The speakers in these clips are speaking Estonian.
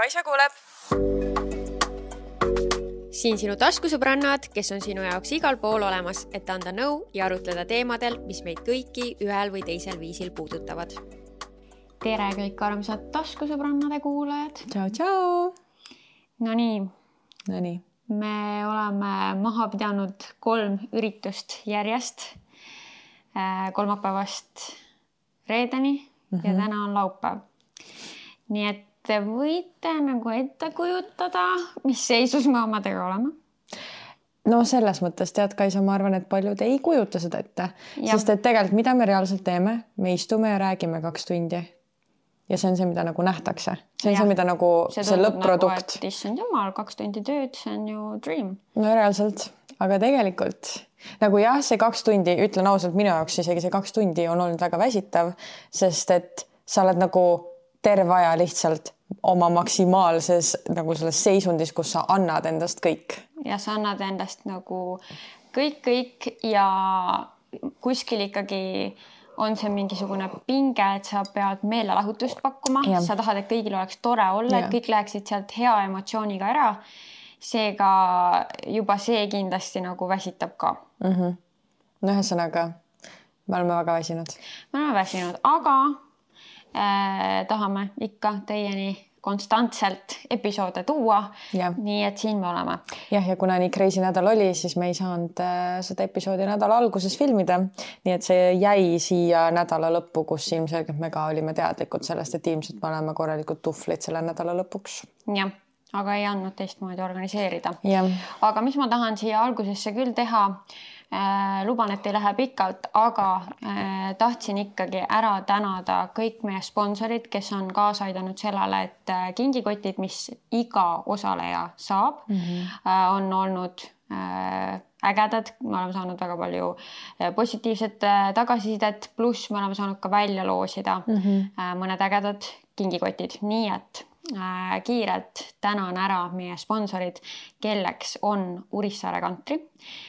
Kaisa kuuleb. Siin sinu taskusõbrannad, kes on sinu jaoks igal pool olemas, et anda nõu ja arutleda teemadel, mis meid kõiki ühel või teisel viisil puudutavad. Tere kõik armsad taskusõbrannade kuulajad. Tšau. Nonii. Me oleme maha pidanud 3 üritust järjest. Kolmapäevast reedeni ja täna on laupäev. Nii et te võite nagu ette kujutada, mis seisus me omadega oleme. No selles mõttes, tead Kaisa, ma arvan, et paljud ei kujuta seda ette. Sest et tegelikult, mida me reaalselt teeme, me istume ja räägime 2 tundi. Ja see on see, mida nagu nähtakse. See on see, mida nagu see lõpp-produkt. Nagu, issand jumal, 2 tundi tööd, see on ju dream. No reaalselt, aga tegelikult nagu jah, see 2 tundi, ütlen ausalt, minu jaoks isegi see 2 tundi on olnud väga väsitav, sest et sa oled nagu terve aja lihtsalt oma maksimaalses nagu selles seisundis, kus sa annad endast kõik. Ja sa annad endast nagu kõik ja kuskil ikkagi on see mingisugune pinge, et sa pead meelelahutust pakkuma. Ja. Sa tahad, et kõigil oleks tore olla, et kõik läheksid sealt hea emotsiooniga ära. Seega juba see kindlasti nagu väsitab ka. No ühesõnaga, me oleme väga väsinud. Me oleme väsinud, aga tahame ikka teieni konstantselt episoode tuua. Nii et siin me oleme. Ja kuna nii crazy nädal oli, siis me ei saanud seda episoodi nädala alguses filmida. Nii et see jäi siia nädala lõppu, kus ilmselgelt me ka olime teadlikud sellest, et ilmselt me oleme korralikud tuflid selle nädala lõpuks. Jah, aga ei andnud teistmoodi organiseerida. Ja. Aga mis ma tahan siia algusesse küll teha, luban, et ei lähe pikalt, aga tahtsin ikkagi ära tänada kõik meie sponsorid, kes on kaasa aidanud sellele, et kingikotid, mis iga osaleja saab, on olnud ägedad. Me oleme saanud väga palju positiivset tagasisidet, pluss me oleme saanud ka välja loosida mõned ägedad kingikotid. Nii et kiirelt tänan ära meie sponsorid, kelleks on Urissaare Country,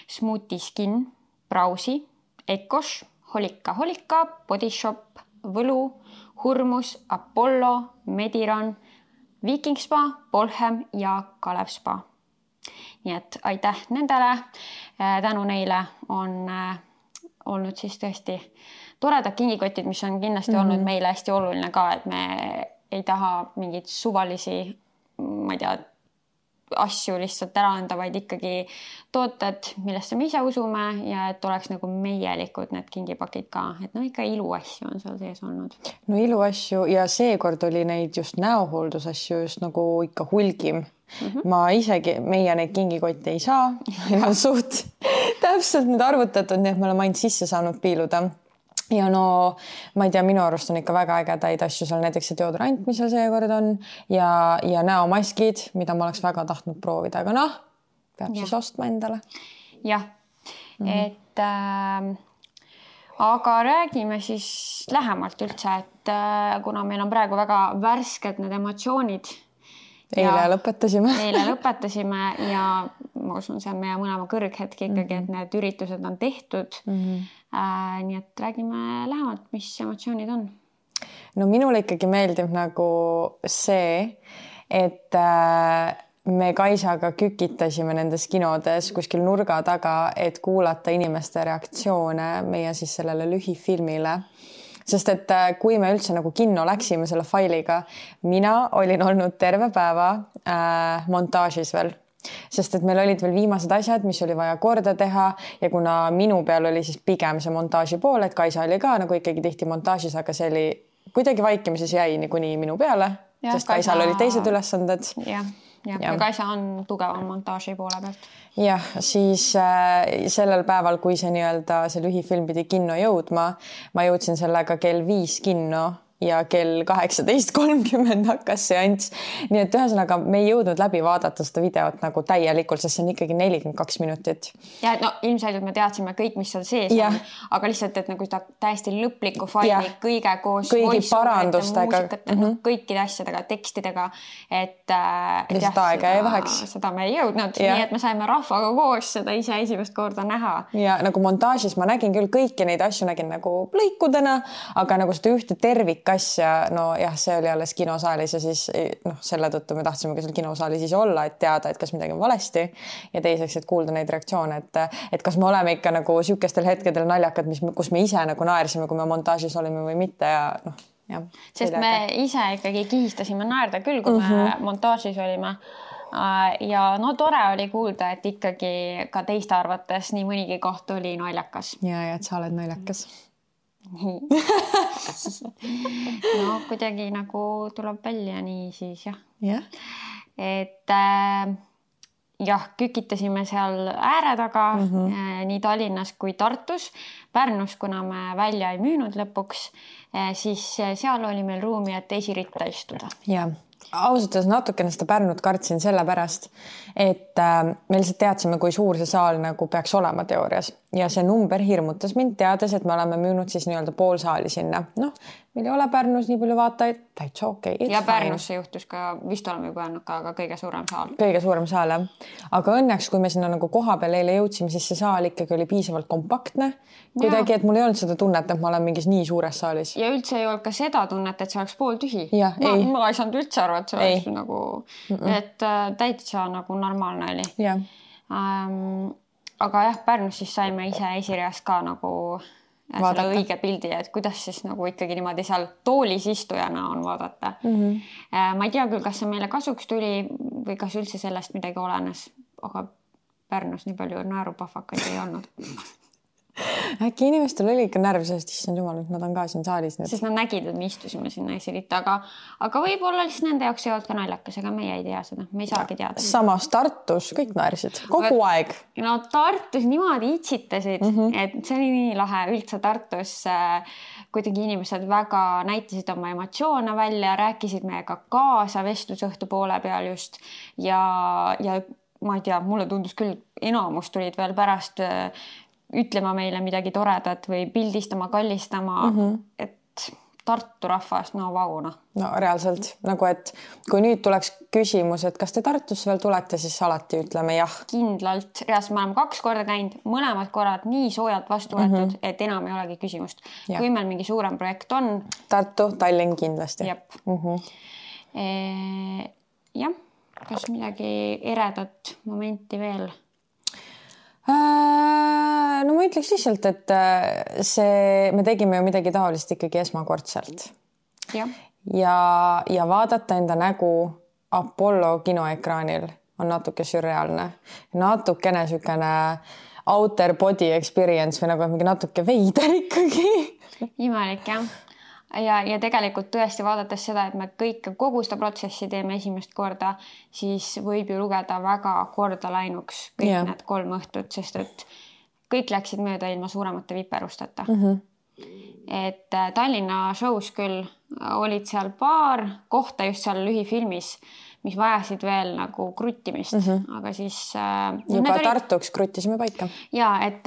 Smoothie Skin, Brausi, Ekos, Holika, Body Shop, Võlu, Hurmus, Apollo, Mediran, Viking Spa, Polhem ja Kalev Spa. Nii et aitäh nendele. Tänu neile on olnud siis tõesti toredad kingikotid, mis on kindlasti olnud meile hästi oluline ka, et me ei taha mingid suvalisi, ma ei tea, asju lihtsalt ära anda, vaid ikkagi tooted, millesse me ise usume ja et oleks nagu meielikud need kingipakid ka. Et no ikka iluasju on seal sees olnud. No iluasju ja seekord oli neid just näohooldusasju just nagu ikka hulgim. Ma isegi, meie neid kingikotte ei saa. Meil on suht täpselt need arvutatud, nii et me oleme ainult sisse saanud piiluda. Ja no, ma ei tea, minu arust on ikka väga ägedaid asju seal, näiteks see deodorant, mis seal seekord on ja näomaskid, mida ma oleks väga tahtnud proovida, aga noh, peab siis ostma endale. Jah, et aga räägime siis lähemalt üldse, et kuna meil on praegu väga värsked need emotsioonid. Eile lõpetasime ja ma usun, see on meie mõlema kõrghetk ikkagi, et need üritused on tehtud. Nii et räägime lähemalt, mis emotsioonid on. No minule ikkagi meeldib nagu see, et me Kaisaga kükitasime nendes kinodes kuskil nurga taga, et kuulata inimeste reaktsioone meie siis sellele lühifilmile. Sest et kui me üldse nagu kinno läksime selle failiga, mina olin olnud terve päeva montaažis veel. Sest et meil olid veel viimased asjad, mis oli vaja korda teha ja kuna minu peal oli siis pigem see montaaži pool, et Kaisa oli ka nagu ikkagi tihti montaažis, aga see oli kuidagi vaikimises jäi niikuni minu peale, sest Kaisal olid teised ülesanded. Ja Kaisa on tugevam montaaži poole pealt. Jah, siis sellel päeval, kui see nii-öelda see lühifilm pidi kinno jõudma, ma jõudsin sellega kell 5 kinno ja kell 18.30 hakkas seanss. Nii et ühesõnaga me ei jõudnud läbi vaadata seda videot nagu täielikult, sest see on ikkagi 42 minutit. Ja no ilmselgelt me teadsime kõik, mis seal sees on, aga lihtsalt, et nagu seda täiesti lõplikku faili kõige koos kõigi parandustega, kõikide asjadega, tekstidega, et lihtsalt aega ei vaheks. Seda me ei jõudnud, nii et me saime rahvaga koos seda ise esimest korda näha. Ja nagu montaažis ma nägin küll kõiki neid asju nägin nagu lõikudena, aga nagu seda ühte tervik asja, no jah, see oli alles kinosaalis ja siis selle tõttu me tahtsime ka seal kinosaalis siis olla, et teada, et kas midagi on valesti ja teiseks, et kuulda neid reaktsioone, et kas me oleme ikka nagu sihukestel hetkedel naljakad, kus me ise nagu naersime, kui me montaažis olime või mitte ja jah. Sest me ise ikkagi kihistasime naerda küll, kui me montaažis olime. Ja no tore oli kuulda, et ikkagi ka teiste arvates nii mõnigi koht oli naljakas. Ja, et sa oled naljakas. No kuidagi nagu tuleb välja nii siis jah. Yeah. Et jah, kükitasime seal ääre taga nii Tallinnas kui Tartus. Pärnus, kuna me välja ei müünud lõpuks, siis seal oli meil ruumi, et esiritta istuda. Jah. Ausalt natukene seda Pärnut kartsin sellepärast, et me lihtsalt teadsime, kui suur see saal nagu peaks olema teoorias ja see number hirmutas mind teades, et me oleme müünud siis nii-öelda pool saali sinna. Noh, meil ei ole Pärnus nii palju vaatajaid, täitsa okei. Ja Pärnusse juhtus ka, vist oleme juba öelnud ka, aga kõige suurem saal. Kõige suurem saal, jah. Aga õnneks, kui me sinna nagu koha peal eile jõudsime, siis see saal ikkagi oli piisavalt kompaktne. Kuidagi, et mul ei olnud seda tunnet, et ma olen mingis nii suures saalis. Ja üldse ei olnud ka seda tunnet, et see oleks pool tühi. Ja, ma ei saanud üldse arva, et see oleks nagu, et täitsa nagu normaalne oli. Ja. Aga jah, Pärnus siis saime ise esireas ka nagu selle õige pildi, et kuidas siis nagu ikkagi niimoodi seal toolis istujana on vaadata. Ma ei tea küll, kas see meile kasuks tuli või kas üldse sellest midagi olenes, aga Pärnus nii palju naerupahvakaid ei olnud. Äkki inimestel oli ikka närv, sest issand jumal, et nad on ka siin saalis. Sest nad nägid, et me istusime sinna esiritta, aga võib-olla lihtsalt nende jaoks ei olnud ka naljakas, ega meie ei tea seda, me ei saagi teada. Samas Tartus kõik naersid, kogu aeg. No Tartus niimoodi itsitasid, et see oli nii lahe. Üldse Tartus kuidagi inimesed väga näitasid oma emotsioone välja, rääkisid meiega kaasa vestlusõhtu poole peal just ja ma ei tea, mulle tundus küll, enamus tulid veel pärast ütlema meile midagi toredat või pildistama, kallistama, et Tartu rahvas, no vau. No reaalselt, nagu et kui nüüd tuleks küsimus, et kas te Tartusse veel tulete, siis alati ütleme jah. Kindlalt, reaalselt me oleme 2 korda käinud, mõlemad korrad nii soojalt vastu võetud, et enam ei olegi küsimust. Ja. Kui meil mingi suurem projekt on. Tartu, Tallinn kindlasti. Jep. Jah, kas midagi eredat momenti veel? No ma ütleks lihtsalt, et me tegime ju midagi taolist ikkagi esmakordselt. Ja vaadata enda nägu Apollo kinoekraanil on natuke sürreaalne. Natukene sükene outer body experience või nagu mingi natuke veider ikkagi. Imelik, jah. Ja tegelikult tõesti vaadates seda, et me kogu seda protsessi teeme esimest korda, siis võib ju lugeda väga korda läinuks kõik need 3 õhtut, sest et kõik läksid mööda ilma suuremate viperusteta. Et Tallinna shows küll olid seal paar kohta just seal lühifilmis, mis vajasid veel nagu kruttimist, aga siis... Juba Tartuks kruttisime paika. Ja, et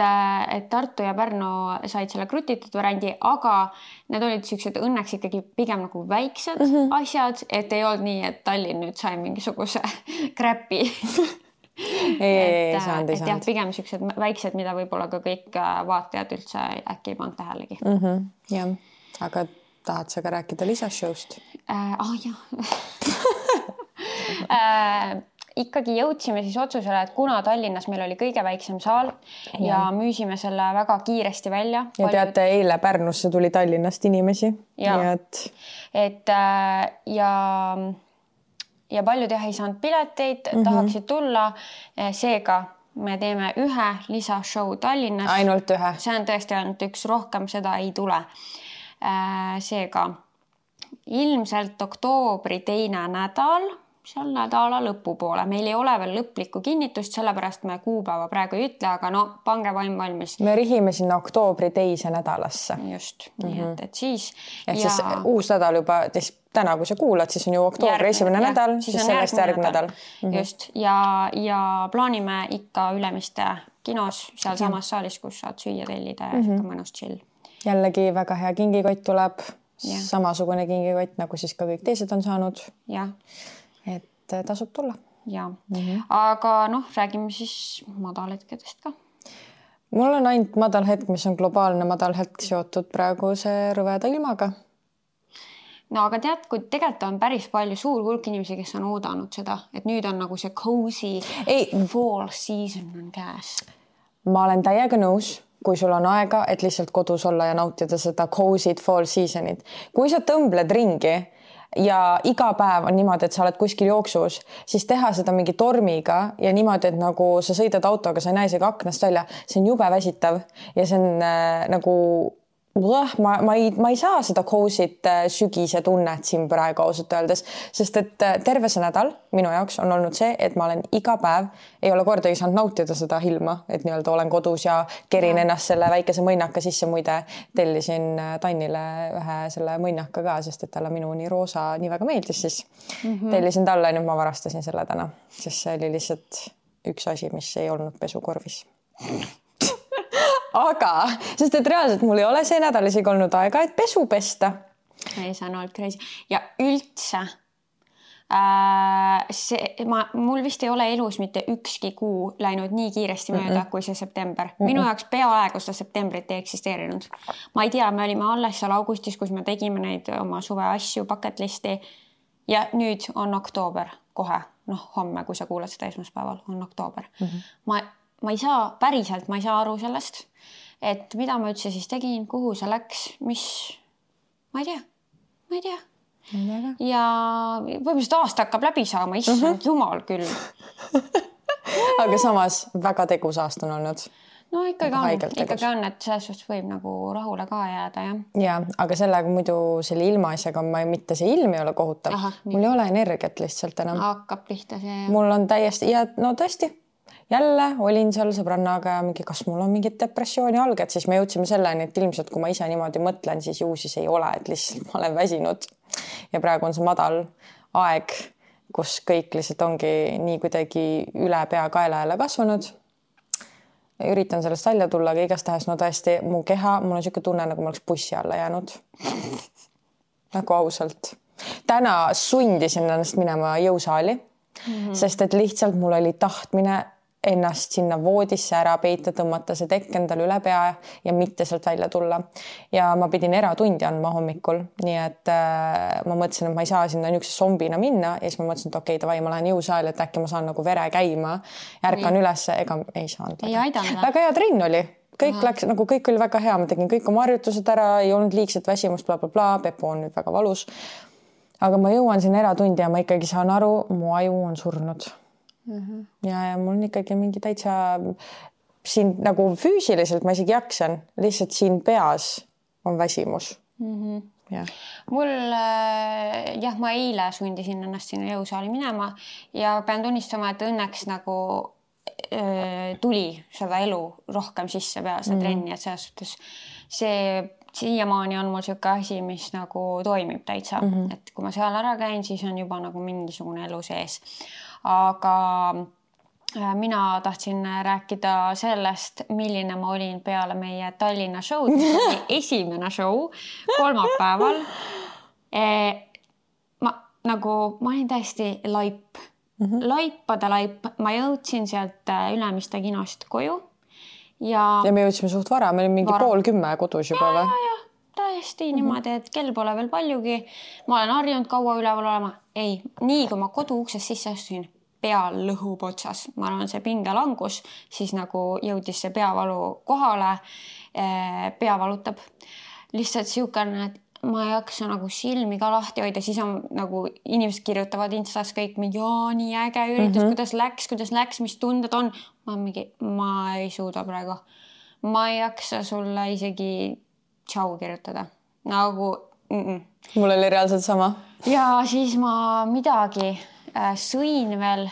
Tartu ja Pärnu said selle krutitud variandi, aga need olid sellised õnneks ikkagi pigem nagu väiksed asjad, et ei olnud nii, et Tallinn nüüd sai mingisuguse kräpi. Ei saanud. Jah, pigem sellised väiksed, mida võib-olla ka kõik vaatajad üldse äkki ei pannud tähelegi. Jah, aga tahad sa ka rääkida lisashowst? Jah. Ikkagi jõudsime siis otsusele, et kuna Tallinnas meil oli kõige väiksem saal ja müüsime selle väga kiiresti välja. Ja teate, eile Pärnusse tuli Tallinnast inimesi. Ja paljud jah ei saanud pileteid, tahaksid tulla. Seega me teeme 1 lisashow Tallinnas. Ainult 1. See on tõesti ainult 1, rohkem seda ei tule. Seega ilmselt oktoobri 2. nädal, seal nädala lõpupoole. Meil ei ole veel lõplikku kinnitust, sellepärast me kuupäeva praegu ei ütle, aga no pange vaim valmis. Me rihime sinna oktoobri 2. nädalasse. Just, nii et siis... Siis uus nädal juba, täna kui sa kuulad, siis on ju oktoobri 1. nädal, siis sellest järgmine nädal. Just, ja plaanime ikka Ülemiste kinos, seal samas saalis, kus saad süüa tellida ja ikka mõnus chill. Jällegi väga hea kingikott tuleb, samasugune kingikott, nagu siis ka kõik teised on saanud. Jah. Et tasub tulla. Ja. Aga räägime siis madalhetkedest ka. Mul on ainult madalhetk, mis on globaalne madalhetk seotud praegu see rõveda ilmaga. no aga tead, kui tegelikult on päris palju suur hulk inimesi, kes on oodanud seda, et nüüd on nagu see cozy fall season on käes. Ma olen täiega nõus, kui sul on aega, et lihtsalt kodus olla ja nautida seda cozy't fall seasonit. Kui sa tõmbled ringi ja iga päev on niimoodi, et sa oled kuskil jooksus, siis teha seda mingi tormiga ja niimoodi, et nagu sa sõidad autoga, sa ei näe isegi aknast välja, see on jube väsitav ja see on nagu ma ei saa seda cozy't sügise tunnet siin praegu ausalt öeldes, sest et terve see nädal minu jaoks on olnud see, et ma olen iga päev, ei ole kordagi saanud nautida seda ilma, et nii-öelda olen kodus ja kerin ennast selle väikese mõnnaka sisse, muide tellisin Tannile ühe selle mõnnaka ka, sest et talle minu nii roosa nii väga meeldis, siis tellisin talle, nüüd ma varastasin selle täna, sest see oli lihtsalt üks asi, mis ei olnud pesukorvis. Aga, sest et reaalselt mul ei ole see nädal isegi olnud aega, et pesu pesta. Ei, see on olnud crazy. Ja üldse, mul vist ei ole elus mitte ükski kuu läinud nii kiiresti mööda kui see september. Minu jaoks peaaegu seda septembrit ei eksisteerinud. Ma ei tea, me olime alles seal augustis, kus me tegime neid oma suve asju, bucket listi ja nüüd on oktoober kohe. Noh, homme, kui sa kuulad seda esmaspäeval, on oktoober. Ma ei saa, päriselt ma ei saa aru sellest, et mida ma üldse siis tegin, kuhu see läks, mis, ma ei tea. Ja põhimõtteliselt aasta hakkab läbi saama, issand jumal küll. Aga samas väga tegus aasta on olnud. No ikkagi on, et selles suhtes võib nagu rahule ka jääda, jah. Ja, aga sellega muidu selle ilmaasjaga mitte see ilm ei ole kohutav. Mul ei ole energiat lihtsalt enam. Hakkab pihta see. Mul on täiesti, ja no tõesti, jälle olin seal sõbrannaga ja mingi, kas mul on mingit depressiooni alged, siis me jõudsime selleni, et ilmselt kui ma ise niimoodi mõtlen, siis ju siis ei ole, et lihtsalt ma olen väsinud. Ja praegu on see madal aeg, kus kõik lihtsalt ongi nii kuidagi üle pea kaela jälle kasvanud. Üritan sellest välja tulla, aga igastahes no tõesti mu keha, mul on siuke tunne, nagu ma oleks bussi alla jäänud. Nagu ausalt. Täna sundisin ennast minema jõusaali, sest et lihtsalt mul oli tahtmine ennast sinna voodisse ära peita, tõmmata see tekk endale üle pea ja mitte sealt välja tulla. Ja ma pidin eratundi andma hommikul, nii et ma mõtlesin, et ma ei saa sinna niisuguse zombina minna ja siis ma mõtlesin, et okei, davai, ma lähen jõusaali, et äkki ma saan nagu vere käima. Ärkan üles, ega ei saanud. Väga hea trenn oli. Kõik läks, nagu kõik oli väga hea, ma tegin kõik oma harjutused ära, ei olnud liigset väsimust, Pepu on nüüd väga valus. Aga ma jõuan siin eratundi ja ma ikkagi saan aru, mu aju on surnud. Ja mul on ikkagi mingi täitsa siin nagu füüsiliselt ma isegi jaksan, lihtsalt siin peas on väsimus. Mul, jah, ma eile sundisin ennast sinna jõusaali minema ja pean tunnistama, et õnneks nagu tuli seda elu rohkem sisse peale seda trenni, et selles suhtes see siiamaani on mul siuke asi, mis nagu toimib täitsa, et kui ma seal ära käin, siis on juba nagu mingisugune elu sees. Aga mina tahtsin rääkida sellest, milline ma olin peale meie Tallinna show'd, esimene show kolmapäeval. Ma olin täiesti laip. Laipade laip. Ma jõudsin sealt Ülemiste kinost koju. Ja me jõudsime suht vara, me olime mingi 9:30 kodus juba või? Ja, täiesti niimoodi, et kell pole veel paljugi. Ma olen harjunud kaua üleval olema. Ei, nii kui ma kodu uksest sisse astusin, pea lõhub otsas. Ma arvan, see pingelangus, siis nagu jõudis see peavalu kohale, pea valutab. Lihtsalt siukene, et ma ei jaksa nagu silmi ka lahti hoida, siis on nagu inimesed kirjutavad Instas kõik mingi, nii äge üritus, kuidas läks, mis tunded on. Ma ei suuda praegu. Ma ei jaksa sulle isegi tšau kirjutada. Nagu, Mul oli reaalselt sama. Ja siis ma midagi sõin veel,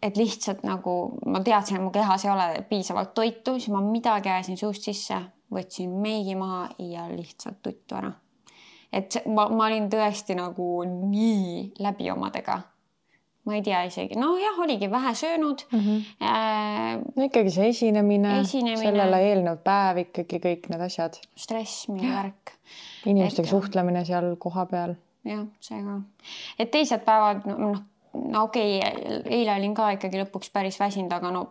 et lihtsalt nagu ma teadsin, et mu kehas ei ole piisavalt toitu, siis ma midagi ajasin suust sisse, võtsin meigi maha ja lihtsalt tuttu ära. Et ma olin tõesti nagu nii läbi omadega. Ma ei tea isegi. No jah, oligi vähe söönud. No ikkagi see esinemine. Sellele eelnev päev ikkagi kõik need asjad. Stress, mingi värk. Inimestega suhtlemine seal koha peal. Jah, see ka. Et teised päevad, no okei, eile olin ka ikkagi lõpuks päris väsinud, aga no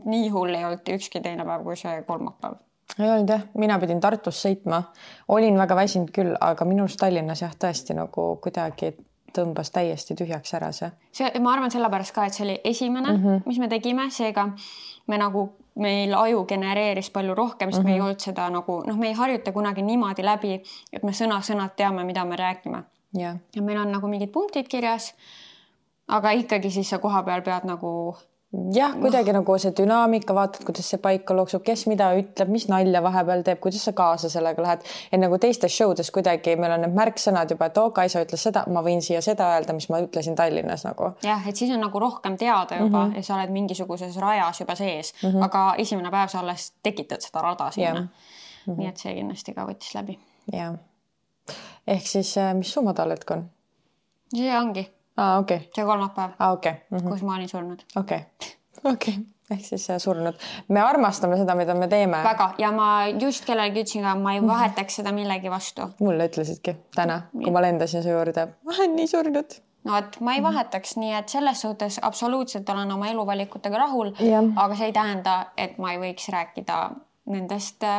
nii hull ei olnud ükski teine päev kui see kolmapäev. ei olnud jah, mina pidin Tartus sõitma, olin väga väsinud küll, aga minust Tallinnas jah, tõesti nagu kuidagi tõmbas täiesti tühjaks ära see. Ma arvan sellepärast ka, et see oli esimene, mis me tegime, seega me nagu meil aju genereeris palju rohkem, sest me ei olnud seda nagu, me ei harjuta kunagi niimoodi läbi, et me sõna-sõnad teame, mida me räägime. Ja meil on nagu mingid punktid kirjas, aga ikkagi siis sa koha peal pead nagu... Jah, kuidagi nagu see dünaamika, vaatad, kuidas see paika looksub, kes mida ütleb, mis nalja vahepeal teeb, kuidas sa kaasa sellega lähed. Et nagu teistes showdes kuidagi meil on need märksõnad juba, et Kaisa ütles seda, ma võin siia seda öelda, mis ma ütlesin Tallinnas nagu. Jah, et siis on nagu rohkem teada juba ja sa oled mingisuguses rajas juba sees, aga esimene päev sa alles tekitad seda rada sinna. Nii et see kindlasti ka võttis läbi. Ja. Ehk siis, mis su madalhetk on? See ongi. Okay. See kolmapäev, okay. kus ma olin surnud. Okay. Ehk siis surnud. Me armastame seda, mida me teeme. Väga. Ja ma just kellelegi ütlesin ka, ma ei vahetaks seda millegi vastu. Mulle ütlesidki täna, kui ma lendasin su juurde. Ma olen nii surnud. No, et ma ei vahetaks, nii et selles suhtes absoluutselt olen oma eluvalikutega rahul, aga see ei tähenda, et ma ei võiks rääkida nendest,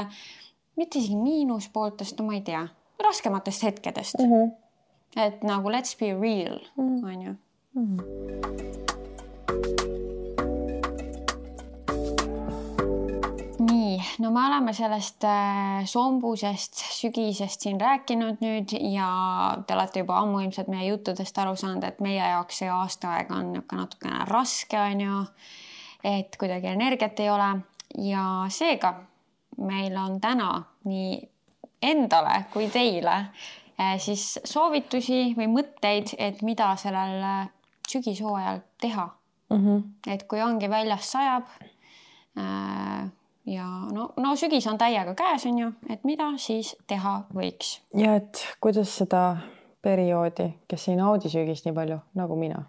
mitte isegi miinuspooltest, ma ei tea, raskematest hetkedest. Et nagu let's be real, on ju. Nii, no me oleme sellest sombusest sügisest siin rääkinud nüüd ja te olete juba ammu ilmselt meie juttudest aru saanud, et meie jaoks see aastaaeg on natukene raske, on ju, et kuidagi energiat ei ole ja seega meil on täna nii endale kui teile siis soovitusi või mõtteid, et mida sellel sügishooajal teha. Et kui ongi väljas sajab ja no sügis on täiega käes, on ju, et mida siis teha võiks. Ja et kuidas seda perioodi, kes ei naudi sügist nii palju nagu mina,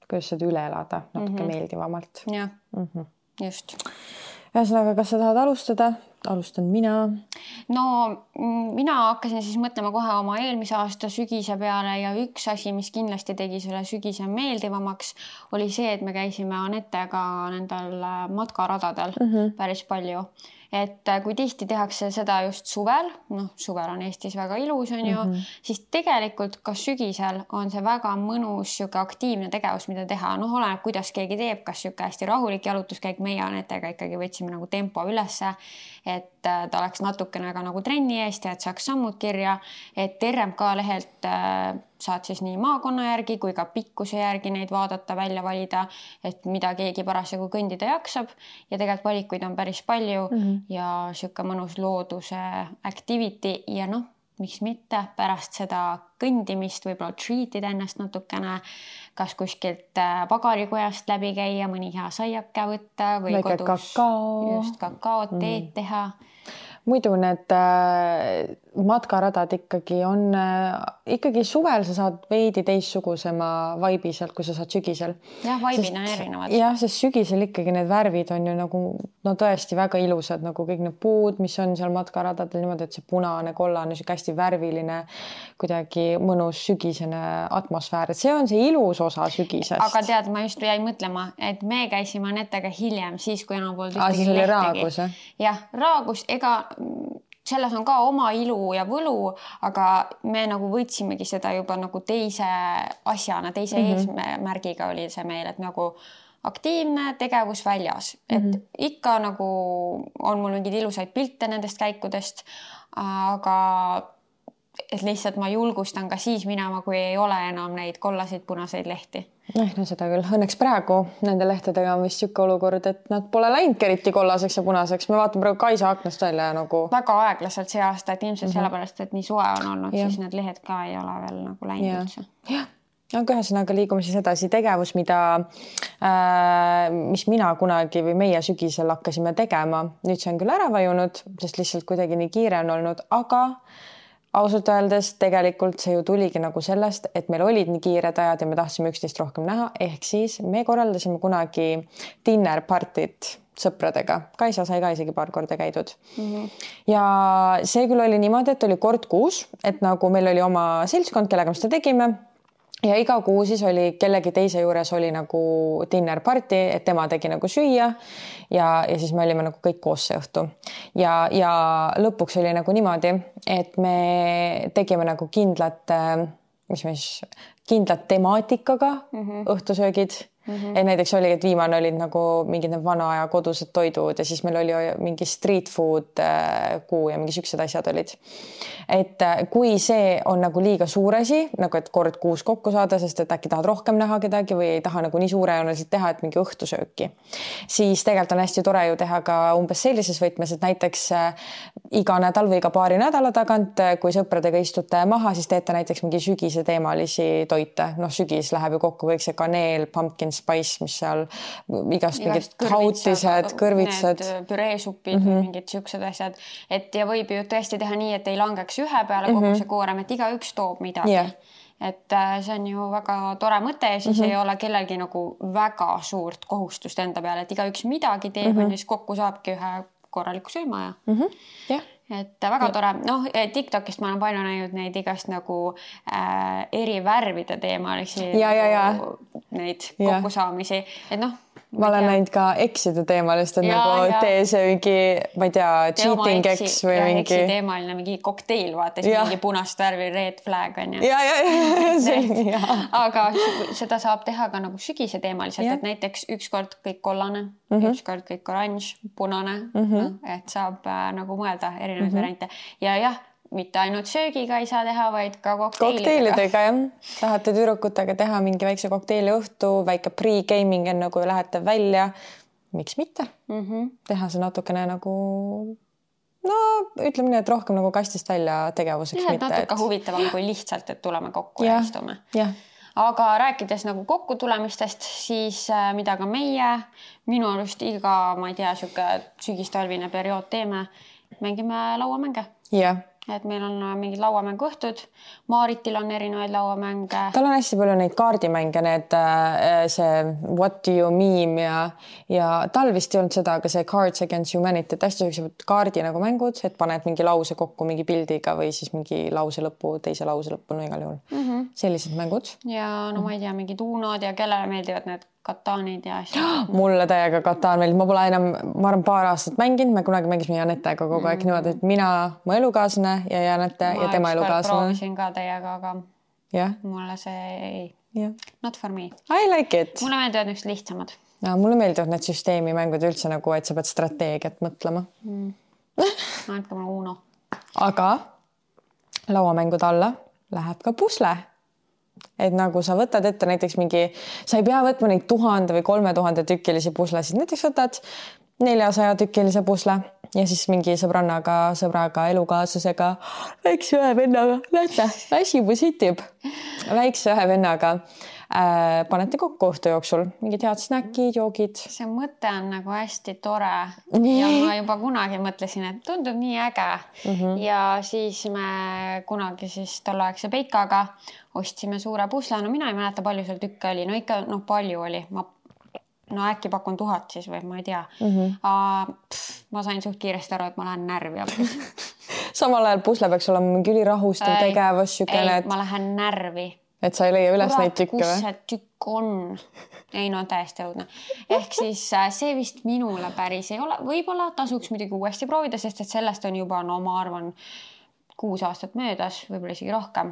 kuidas seda üle elada natuke meeldivamalt. Jah, just. Ühesõnaga, kas sa tahad alustada? Alustan mina. No mina hakkasin siis mõtlema kohe oma eelmise aasta sügise peale ja üks asi, mis kindlasti tegi selle sügise meeldivamaks, oli see, et me käisime Anettega nendel matkaradadel päris palju. Et kui tihti tehakse seda just suvel, suvel on Eestis väga ilus, on ju, siis tegelikult ka sügisel on see väga mõnus siuke aktiivne tegevus, mida teha. Oleneb, kuidas keegi teeb, kas siuke hästi rahulik jalutuskäik, meie Anettega ikkagi võtsime nagu tempo ülesse, et ta oleks natukene ka nagu trenni eest ja et saaks sammud kirja, et RMK lehelt saad siis nii maakonna järgi kui ka pikkuse järgi neid vaadata, välja valida, et mida keegi parasjagu kõndida jaksab ja tegelikult valikuid on päris palju ja siuke mõnus looduse activity ja miks mitte pärast seda kõndimist võib-olla treatida ennast natukene, kas kuskilt pagarikojast läbi käia, mõni hea saiake võtta või väike kodus just kakaot, teed teha. Muidu need matkaradad ikkagi on, ikkagi suvel sa saad veidi teistsugusema vaibi sealt, kui sa saad sügisel. Jah, vaibid on erinevad. Jah, sest sügisel ikkagi need värvid on ju nagu, tõesti väga ilusad, nagu kõik need puud, mis on seal matkaradadel niimoodi, et see punane, kollane, hästi värviline, kuidagi mõnus sügisene atmosfäär. Et see on see ilus osa sügisest. Aga tead, ma just jäin mõtlema, et me käisime Anettega hiljem, siis kui enam pool siis oli raagus, jah, raagus, ega selles on ka oma ilu ja võlu, aga me nagu võtsimegi seda juba nagu teise asjana, teise eesmärgiga oli see meil, et nagu aktiivne tegevus väljas. Et ikka nagu on mul mingid ilusaid pilte nendest käikudest, aga et lihtsalt ma julgustan ka siis minema, kui ei ole enam neid kollaseid punaseid lehti. No seda küll. Õnneks praegu nende lehtedega on vist siuke olukord, et nad pole läinud eriti kollaseks ja punaseks. Me vaatame praegu Kaisa aknast välja nagu... Väga aeglaselt see aasta, et ilmselt sellepärast, et nii soe on olnud, siis need lehed ka ei ole veel nagu läinud üldse. Jah. Aga ühesõnaga liigume siis edasi tegevus, mis mina kunagi või meie sügisel hakkasime tegema. Nüüd see on küll ära vajunud, sest lihtsalt kuidagi nii kiire on olnud, aga ausalt öeldes tegelikult see ju tuligi nagu sellest, et meil olid nii kiired ajad ja me tahtsime üksteist rohkem näha, ehk siis me korraldasime kunagi dinner partit sõpradega. Kaisa sai ka isegi paar korda käidud. Ja see küll oli niimoodi, et oli kord kuus, et nagu meil oli oma seltskond, kellega me seda tegime. ja iga kuu siis oli kellegi teise juures oli nagu dinner party, et tema tegi nagu süüa ja siis me olime nagu kõik koos see õhtu. Ja lõpuks oli nagu niimoodi, et me tegime nagu kindlat temaatikaga õhtusöögid. Et näiteks oli, et viimane olid nagu mingid vana aja kodused toidud ja siis meil oli mingi street food kuu ja mingi siuksed asjad olid. Et kui see on nagu liiga suur asi, nagu et kord kuus kokku saada, sest et äkki tahad rohkem näha kedagi või ei taha nagu nii suurejooneliselt teha, et mingi õhtusööki, siis tegelikult on hästi tore ju teha ka umbes sellises võtmes, et näiteks iga nädal või iga paari nädala tagant, kui sõpradega istute maha, siis teete näiteks mingi sügise teemalisi toite. Noh, sügis läheb ju kokku kõik see kaneel, pumpkin spice, mis seal igast mingid hautised, kõrvitsad. Püreesupid või mingid siuksed asjad. Et ja võib ju tõesti teha nii, et ei langeks ühe peale kogu see koorem, et igaüks toob midagi. Et see on ju väga tore mõte ja siis ei ole kellelgi nagu väga suurt kohustust enda peale, et igaüks midagi teeb ja siis kokku saabki ühe korraliku sööma ja. Et väga tore. Noh, TikTokist ma olen palju näinud neid igast nagu eri värvide teemalisi neid kokkusaamisi. Et noh, ma olen näinud ka ekside teemalist, et nagu tee see mingi, ma ei tea, cheating eks või mingi. Eksi teemaline mingi kokteil, vaata, siis mingi punast värvi red flag on ju. Aga seda saab teha ka nagu sügise teemaliselt, et näiteks ükskord kõik kollane, ükskord kõik oranž, punane, et saab nagu mõelda erinevaid variante. Ja mitte ainult söögiga ei saa teha, vaid ka kokteilidega. Jah. Tahate tüdrukutega teha mingi väikse kokteili õhtu, väike pre-gaming enne kui lähete välja. Miks mitte? Teha see natukene nagu, no ütleme nii, et rohkem nagu kastist välja tegevuseks. Ja, natuke huvitavam kui lihtsalt, et tuleme kokku ja istume. Aga rääkides nagu kokku tulemistest, siis mida ka minu arust iga, ma ei tea, sügistalvine periood teeme, mängime lauamänge. Et meil on mingid lauamängu õhtud. Maaritil on erinevaid lauamänge. Tal on hästi palju neid kaardimänge, need see What do you meme ja tal vist ei olnud seda, aga see Cards Against Humanity, et hästi sellised kaardi nagu mängud, et paned mingi lause kokku mingi pildiga või siis mingi lause lõppu, teise lause lõppu, no igal juhul. Sellised mängud. Ja no ma ei tea, mingi tuunod ja kellele meeldivad need kataanid ja asja. Mulle täiega kataan meeldib. Ma pole enam, ma arvan, paar aastat mänginud. Me kunagi mängisime Janetega kogu aeg niimoodi, et mina, mu elukaaslane ja Janete ja tema elukaaslane. Ma proovisin ka teiega, aga mulle see ei. Not for me. I like it. Mulle meeldivad üks lihtsamad. Ja, mulle meeldivad need süsteemimängud üldse nagu, et sa pead strateegiat mõtlema. Andke mulle Uno. Aga lauamängude alla läheb ka pusle. Et nagu sa võtad ette näiteks mingi, sa ei pea võtma neid 1000 või 3000 tükilisi puslesid, näiteks võtad 400 tükilise pusle ja siis mingi sõbraga, elukaaslasega, väikse ühe vennaga, näete, väsimus hitib, väikse ühe vennaga panete kokku õhtu jooksul, mingid head snäkid, joogid. See mõte on nagu hästi tore ja ma juba kunagi mõtlesin, et tundub nii äge ja siis me kunagi siis tolleaegse Peikaga ostsime suure pusle, no mina ei mäleta, palju seal tükke oli, no ikka palju oli, no äkki pakun 1000 siis või ma ei tea. Ma sain suht kiiresti aru, et ma lähen närvi. Samal ajal pusle peaks olema mingi ülirahustav tegevus. Ma lähen närvi. Et sa ei leia üles neid tükke või? Kus see tükk on? Ei, no täiesti õudne. Ehk siis see vist minule päris ei ole. Võib-olla tasuks muidugi uuesti proovida, sest et sellest on juba, no ma arvan, 6 aastat möödas, võib-olla isegi rohkem,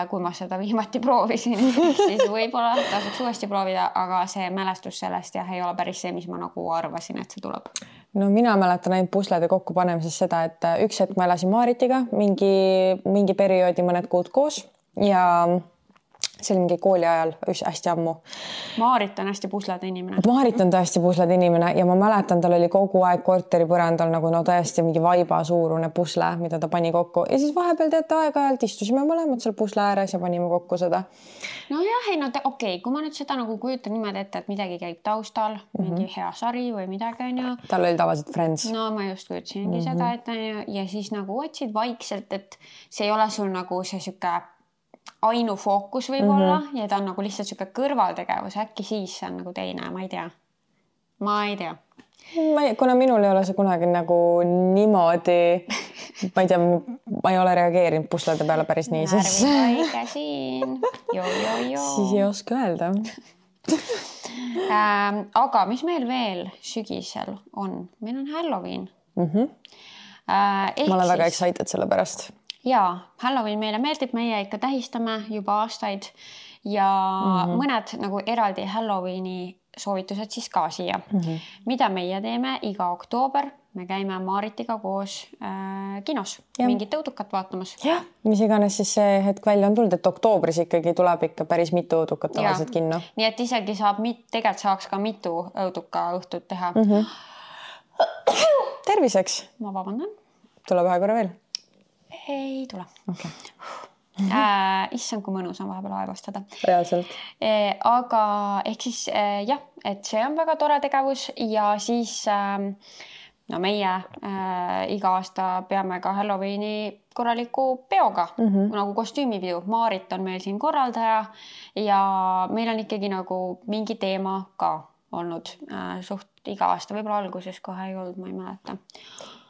kui ma seda viimati proovisin. Siis võib-olla tasuks uuesti proovida, aga see mälestus sellest ei ole päris see, mis ma nagu arvasin, et see tuleb. No mina mäletan ainult puslede kokku panemises seda, et üks hetk ma elasin Maaritiga mingi perioodi mõned kuud koos ja see oli mingi kooli ajal hästi ammu. Maarit on hästi puslede inimene. Maarit on tõesti puslede inimene ja ma mäletan, tal oli kogu aeg korteri põrandal nagu tõesti mingi vaiba suurune pusle, mida ta pani kokku. Ja siis vahepeal teate aeg-ajalt istusime mõlemad seal pusle ääres ja panime kokku seda. No jah, okei, kui ma nüüd seda nagu kujutan niimoodi ette, et midagi käib taustal, mingi hea sari või midagi on ju. Tal oli tavaliselt Friends. No ma just kujutasingi seda, et ja siis nagu otsid vaikselt, et see ei ole sul nagu see süke ainufookus võib-olla ja ta on nagu lihtsalt süke kõrvaltegevus, äkki siis see on nagu teine, ma ei tea. kuna minul ei ole see kunagi nagu niimoodi, ma ei tea, ma ei ole reageerinud puslade peale päris nii, siis närvihaige siin. Siis ei oska öelda. Aga mis meil veel sügisel on? Meil on Halloween. Ma olen väga excited selle pärast. Jaa, Halloween meile meeldib, meie ikka tähistame juba aastaid ja mõned nagu eraldi Halloweeni soovitused siis ka siia. Mida meie teeme iga oktoober? Me käime Maritiga koos kinos mingit õudukat vaatamas. Jah, mis iganes siis see hetk välja on tulnud, et oktoobris ikkagi tuleb ikka päris mitu õudukat tavaliselt kinno. Nii et isegi tegelikult saaks ka mitu õuduka õhtut teha. Terviseks. Ma vabandan. Tuleb ühe korra veel? Ei tule. Okay. Issand, kui mõnus on vahepeal aevastada. Reaalselt. Aga ehk siis jah, et see on väga tore tegevus ja siis no meie iga aasta peame ka Halloweeni korraliku peoga, nagu kostüümipidu. Maarit on meil siin korraldaja ja meil on ikkagi nagu mingi teema ka olnud suht iga aasta, võib-olla alguses kohe ei olnud, ma ei mäleta.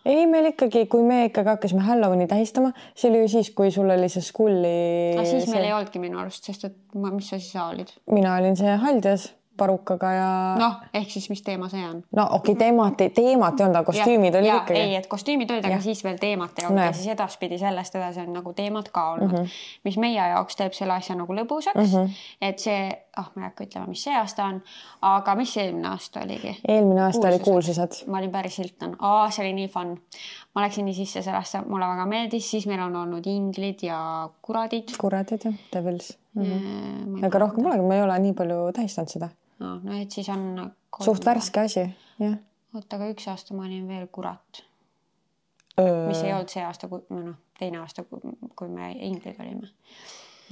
Ei, meil ikkagi, kui me ikkagi hakkasime Halloweeni tähistama, see oli ju siis, kui sul oli see skulli... Siis meil ei olnudki minu arust, sest et mis sa siis olid? Mina olin see haldjas parukaga ja... Noh, ehk siis mis teema see on? No okei, teemat ei olnud, aga kostüümid olid ikkagi. Ei, et kostüümid olid, aga siis veel teemat ei olnud ja siis edaspidi sellest edasi on nagu teemad ka olnud, mis meie jaoks teeb selle asja nagu lõbusaks, et see, ma ei hakka ütlema, mis see aasta on, aga mis eelmine aasta oligi? Eelmine aasta oli kuulsused. Ma olin päris Hilton. See oli nii fun. Ma läksin nii sisse sellesse, mulle väga meeldis, siis meil on olnud inglid ja kuradid. Kuradid, jah, devils. Aga rohkem polegi, ma ei ole nii palju tähistanud seda. No, et siis on... Suht värske asi, jah. Oota, aga üks aasta ma olin veel kurat. Mis ei olnud see aasta, teine aasta, kui me inglid olime.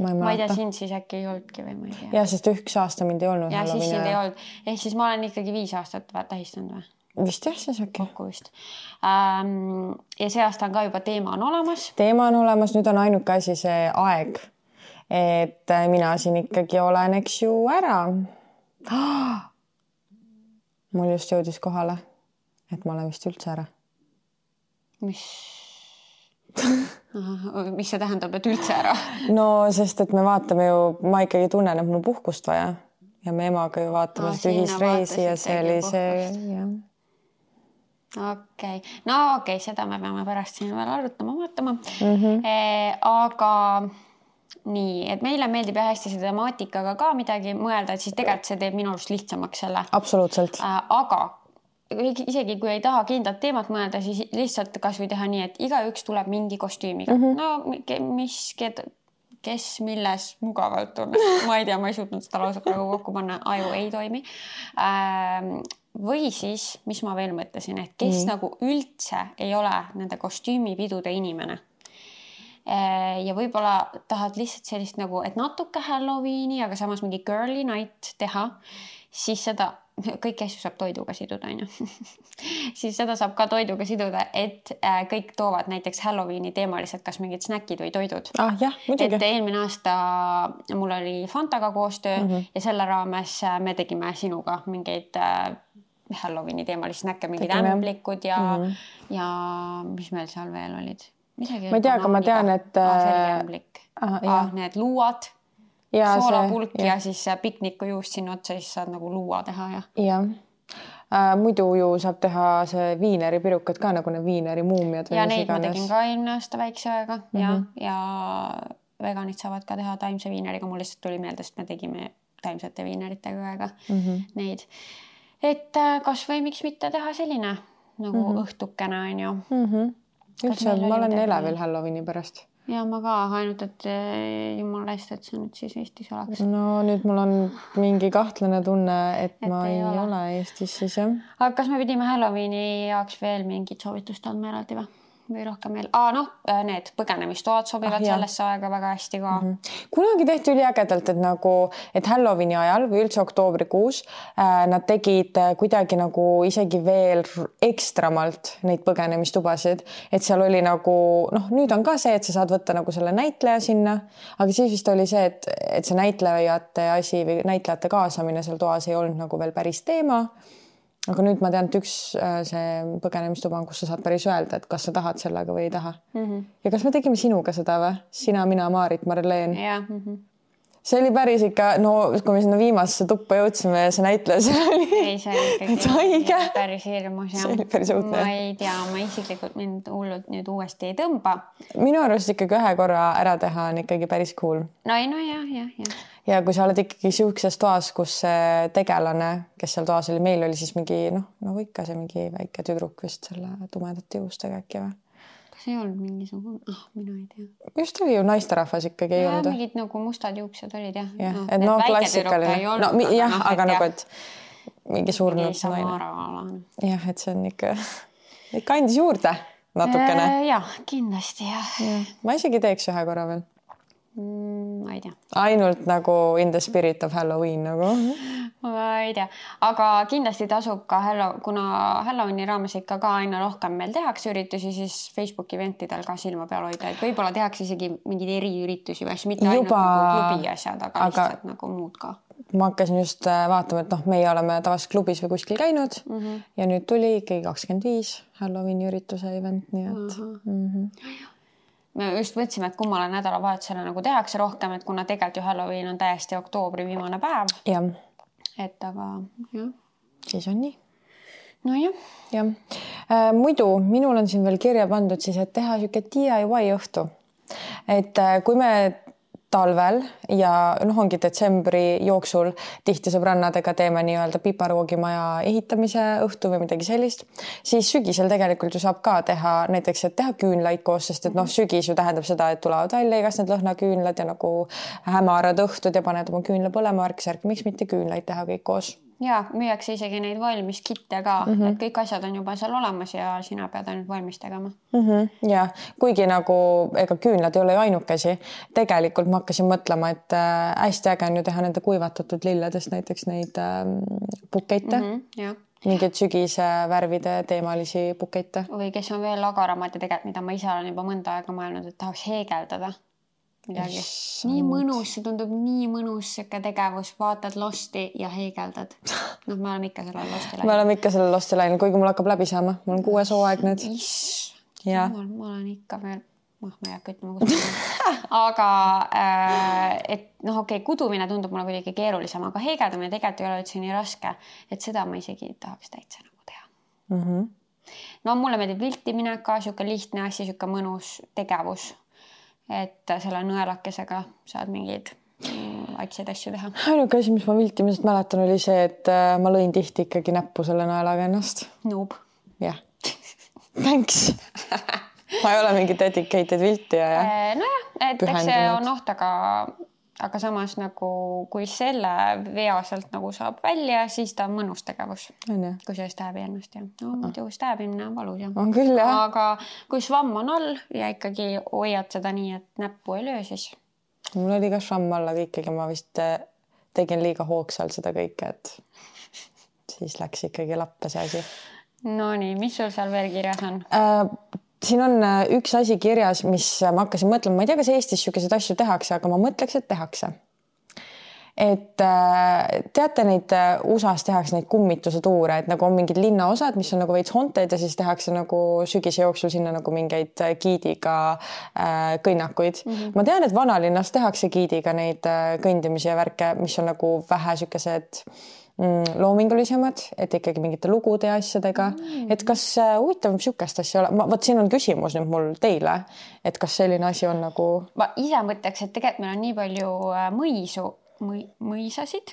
Ma ei tea, sind siis äkki ei olnudki või ma ei tea. Ja, sest üks aasta mind ei olnud. Ja, siis sind ei olnud. Ehk siis ma olen ikkagi 5 aastat tähistanud või? Vist jah, siis äkki. Kokku vist. Ja see aasta on ka juba teema on olemas. Teema on olemas, nüüd on ainuke asi see aeg. Et mina siin ikkagi olen, eks ju, ära. Mul just jõudis kohale, et ma olen vist üldse ära. Mis see tähendab, et üldse ära? No, sest et me vaatame ju, ma ikkagi tunnen, et mul puhkust vaja ja me emaga ju vaatame ühisreisi ja see oli see, jah. Okei. No okei, seda me peame pärast siin veel arutama, vaatama. Aga... Nii, et meile meeldib ja hästi see temaatikaga ka midagi mõelda, et siis tegelikult see teeb minu arust lihtsamaks selle. Absoluutselt. Aga isegi kui ei taha kindlat teemat mõelda, siis lihtsalt kas või teha nii, et igaüks tuleb mingi kostüümiga. No, kes milles mugavalt on. Ma ei tea, ma ei suutnud seda lausa praegu kokku panna, aju ei toimi. Või siis, mis ma veel mõtlesin, et kes nagu üldse ei ole nende kostüümipidude inimene. Ja võib-olla tahad lihtsalt sellist nagu, et natuke Halloweeni, aga samas mingi girly night teha, siis seda, kõik asju saab toiduga siduda, on ju. Siis seda saab ka toiduga siduda, et kõik toovad näiteks Halloweeni teemaliselt kas mingid snäkid või toidud. Jah, muidugi. Et eelmine aasta mul oli Fantaga koostöö ja selle raames me tegime sinuga mingeid Halloweeni teemalisi snäkke, mingid ämblikud ja mis meil seal veel olid? Ma ei tea, aga ma tean, et need luuad, soolapulk ja siis piknikujuust sinna otsa, siis saad nagu luua teha. Ja. Muidu ju saab teha see viineri pirukad ka, nagu need viineri muumiad. Ja neid ma tegin ka eelmine aasta väikse aega ja veganid saavad ka teha taimse viineriga. Mul lihtsalt tuli meelde, sest me tegime taimsete viineritega aega neid. Et kas või miks mitte teha selline nagu õhtukene on ju. Üldse, ma olen elevil Halloweeni pärast. Ja ma ka, ainult, et jumala eest, et see nüüd siis Eestis oleks. No nüüd mul on mingi kahtlane tunne, et ma ei ole Eestis siis, jah. Aga kas me pidime Halloweeni jaoks veel mingid soovitust andma eraldi või rohkem veel? Need põgenemistoad sobivad sellesse aega väga hästi ka. Kunagi tehti üliägedalt, et nagu, et Halloweeni ajal või üldse oktoobrikuus nad tegid kuidagi nagu isegi veel ekstramalt neid põgenemistubasid, et seal oli nagu, nüüd on ka see, et sa saad võtta nagu selle näitleja sinna, aga siis vist oli see, et see näitlejate asi või näitlejate kaasamine seal toas ei olnud nagu veel päris teema. aga nüüd ma tean, et üks see põgenemistuba on, kus sa saad päris öelda, et kas sa tahad sellega või ei taha. Ja kas me tegime sinuga seda või? Sina, mina, Maarit, Marleen. Jah. See oli päris ikka, no kui me sinna viimasesse tuppa jõudsime ja see näitleja seal oli. Ei, see oli ikkagi päris hirmus. See oli päris õudne. Ma ei tea, ma isiklikult mind hullult nüüd uuesti ei tõmba. Minu arust ikkagi ühe korra ära teha on ikkagi päris cool. No jah. Ja kui sa oled ikkagi siukses toas, kus see tegelane, kes seal toas oli, meil oli siis mingi, nagu ikka see mingi väike tüdruk vist selle tumedate juustega äkki või? Kas ei olnud mingisugune? Mina ei tea. Just oli ju naisterahvas ikkagi ei olnud. Mingid nagu mustad juuksed olid jah. Et klassikaline. Jah, aga nagu, et mingi surnud naine. Jah, et see on ikka andis juurde natukene. Jah, kindlasti jah. Ma isegi teeks ühe korra veel. Ma ei tea. Ainult nagu in the spirit of Halloween nagu. Ma ei tea, aga kindlasti tasub ka kuna Halloweeni raames ikka ka aina rohkem meil tehakse üritusi, siis Facebooki eventidel ka silma peal hoida, et võib-olla tehakse isegi mingeid eriüritusi või mitte ainult nagu klubi asjad, aga lihtsalt nagu muud ka. Ma hakkasin just vaatama, et meie oleme tavaliselt klubis või kuskil käinud ja nüüd tuli ikkagi 25 Halloweeni ürituse event, nii et... Me just võtsime, et kummale nädalavahetusele nagu tehakse rohkem, et kuna tegelikult ju Halloween on täiesti oktoobri viimane päev. Jah. Et aga jah. Siis on nii. No jah. Jah. Muidu minul on siin veel kirja pandud siis, et teha siuke DIY õhtu. Et kui me talvel ja ongi detsembri jooksul tihti sõbrannadega teeme nii-öelda piparoogimaja ehitamise õhtu või midagi sellist, siis sügisel tegelikult ju saab ka teha näiteks, et teha küünlaid koos, sest et sügis ju tähendab seda, et tulevad välja igast need lõhnaküünlad ja nagu hämarad õhtud ja paned oma küünla põlema värk-särk, miks mitte küünlaid teha kõik koos? Ja, müüakse isegi neid valmis kitte ka, et kõik asjad on juba seal olemas ja sina pead ainult valmis tegema. Ja, kuigi nagu ega küünlad ei ole ju ainukesi. Tegelikult ma hakkasin mõtlema, et hästi äge on ju teha nende kuivatatud lilledest näiteks neid bukeite. Mingid sügise värvide teemalisi bukeite. Või kes on veel agaramad ja tegelikult, mida ma ise olen juba mõnda aega mõelnud, et tahaks heegeldada. Midagi. Nii mõnus, see tundub nii mõnus siuke tegevus, vaatad Losti ja heegeldad. Me oleme ikka sellel Losti läinud. Me oleme ikka sellel Losti läinud, kuigi mul hakkab läbi saama. Mul on 6 hooaeg nüüd. Ma olen ikka veel, ma ei hakka ütlema kudumine. Aga et okei, kudumine tundub mulle kuidagi keerulisem, aga heegeldamine tegelikult ei ole üldse nii raske, et seda ma isegi tahaks täitsa nagu teha. No mulle meeldib viltimine ka, siuke lihtne asi, siuke mõnus tegevus. Et selle nõelakesega saad mingeid vaikseid asju teha. Ainuke asi, mis ma viltimisest mäletan, oli see, et ma lõin tihti ikkagi näppu selle nõelaga ennast. Noob. Jah. Thanks. Ma ei ole mingi dedicated viltija. Nojah, et eks see on oht, aga samas nagu kui selle vea sealt nagu saab välja, siis ta on mõnus tegevus. Kui see stääbi ennast ja muidu stääbimine on valus. On küll, jah. Aga kui švamm on all ja ikkagi hoiad seda nii, et näppu ei löö, siis... Mul oli ka švamm all, aga ikkagi ma vist tegin liiga hoogsalt seda kõike, et siis läks ikkagi lappe see asi. No nii, mis sul seal veel kirjas on? Siin on üks asi kirjas, mis ma hakkasin mõtlema, ma ei tea, kas Eestis siukeseid asju tehakse, aga ma mõtleks, et tehakse. Et teate neid USAs tehakse neid kummituse tuure, et nagu on mingid linnaosad, mis on nagu veits honted ja siis tehakse nagu sügise jooksul sinna nagu mingeid giidiga kõnnakuid. Ma tean, et vanalinnas tehakse giidiga neid kõndimisi ja värke, mis on nagu vähe siukesed loomingulisemad, et ikkagi mingite lugude ja asjadega, et kas huvitav siukest asja ole, võt siin on küsimus nüüd mul teile, et kas selline asi on nagu... Ma ise mõtleks, et tegelikult meil on nii palju mõisasid.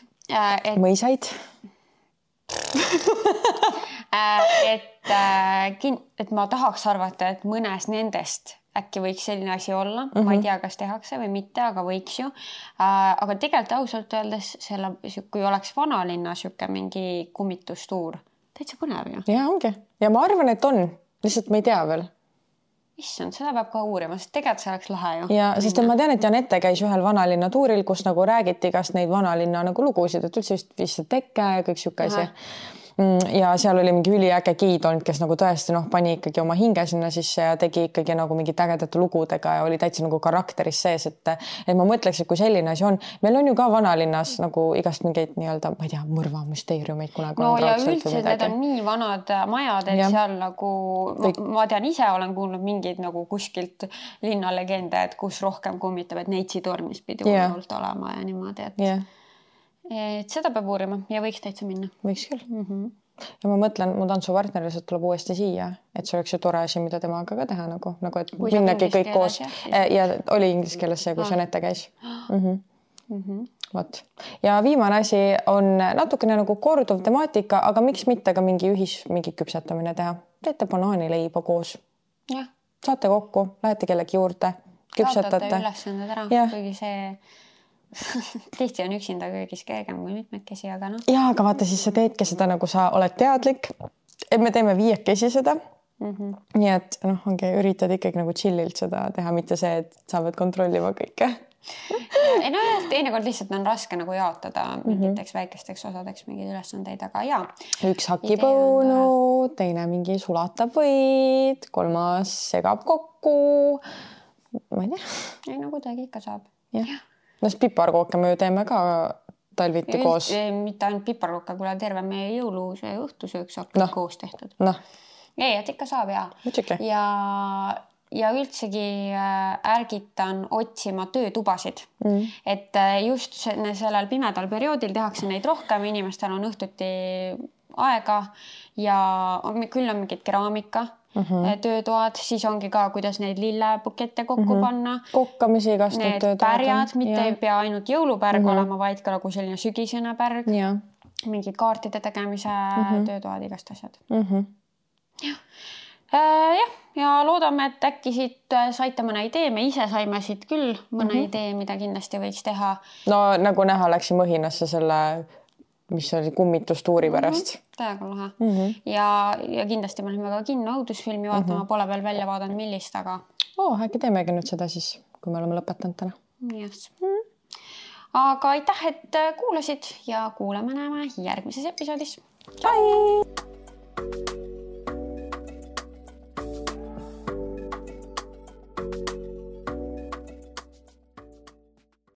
Mõisaid? Et ma tahaks arvata, et mõnes nendest äkki võiks selline asi olla. Ma ei tea, kas tehakse või mitte, aga võiks ju. Aga tegelikult ausalt öeldes, kui oleks vanalinna siuke mingi kummitustuur, täitsa põnev ju. Ja ongi. Ja ma arvan, et on. Lihtsalt ma ei tea veel. Issand, seda peab ka uurima, sest tegelikult see oleks lahe ju. Ja, sest ma tean, et Janette käis ühel vanalinna tuuril, kus nagu räägiti kas neid vanalinna nagu lugusid, et üldse vist teke ja kõik siuke asi. ja seal oli mingi üliäge giid olnud, kes nagu tõesti pani ikkagi oma hinge sinna sisse ja tegi ikkagi nagu mingit ägedate lugudega ja oli täitsa nagu karakteris sees, et ma mõtleks, et kui selline asi on, meil on ju ka vanalinnas nagu igast mingeid nii-öelda, ma ei tea, mõrvamüsteeriumeid kunagi. No ja üldse need on nii vanad majad, et seal nagu, ma tean ise olen kuulnud mingeid nagu kuskilt linnalegende, et kus rohkem kummitab, et Neitsi tornis pidi hullult olema ja niimoodi, et seda peab uurima ja võiks täitsa minna. Võiks küll. Ja ma mõtlen, mu tantsupartner lihtsalt tuleb uuesti siia, et see oleks ju tore asi, mida temaga ka teha nagu et minnagi kõik koos ja oli inglise keeles see, kui Janette käis. Vot. Ja viimane asi on natukene nagu korduv temaatika, aga miks mitte ka mingi küpsetamine teha. Teete banaanileiba koos. Saate kokku, lähete kellegi juurde, küpsetate. Jaotate ülesanded ära, kuigi see tihti on üksinda köögis kergem kui mitmekesi, aga noh. Ja, aga vaata, siis sa teedki seda nagu sa oled teadlik, et me teeme 5 seda. Nii et ongi, üritad ikkagi nagu chillilt seda teha, mitte see, et sa pead kontrollima kõike. Ei no teinekord lihtsalt on raske nagu jaotada mingiteks väikesteks osadeks mingeid ülesandeid, aga jaa. Üks hakib õunu, teine mingi sulatab võid, 3. segab kokku. Ma ei tea. Ei no kuidagi ikka saab. Jah. No piparkooke me ju teeme ka talviti koos. Mitte ainult piparkooke, kui terve meie jõuluse õhtusööks koos tehtud. Ei, et ikka saab ja üldsegi ärgitan otsima töötubasid. Et just sellel pimedal perioodil tehakse neid rohkem, inimestel on õhtuti aega ja küll on mingid keraamika töötoad, siis ongi ka, kuidas neid lillepukette kokku panna. Kokkamisi igast need pärjad, mitte ei pea ainult jõulupärg olema, vaid ka nagu selline sügisene pärg. Mingid kaartide tegemise töötoad, igast asjad. Ja loodame, et äkki siit saite mõne idee, me ise saime siit küll mõne idee, mida kindlasti võiks teha. No nagu näha, läksin Mõhinasse selle mis oli kummitustuuri pärast. Täiega lahe. Ja kindlasti me oleme ka kinno õudusfilmi vaatama, pole veel välja vaadanud millist, aga... Äkki teemegi nüüd seda siis, kui me oleme lõpetanud täna. Yes. Aga aitäh, et kuulasid ja kuulame näeme järgmises episoodis. Bye!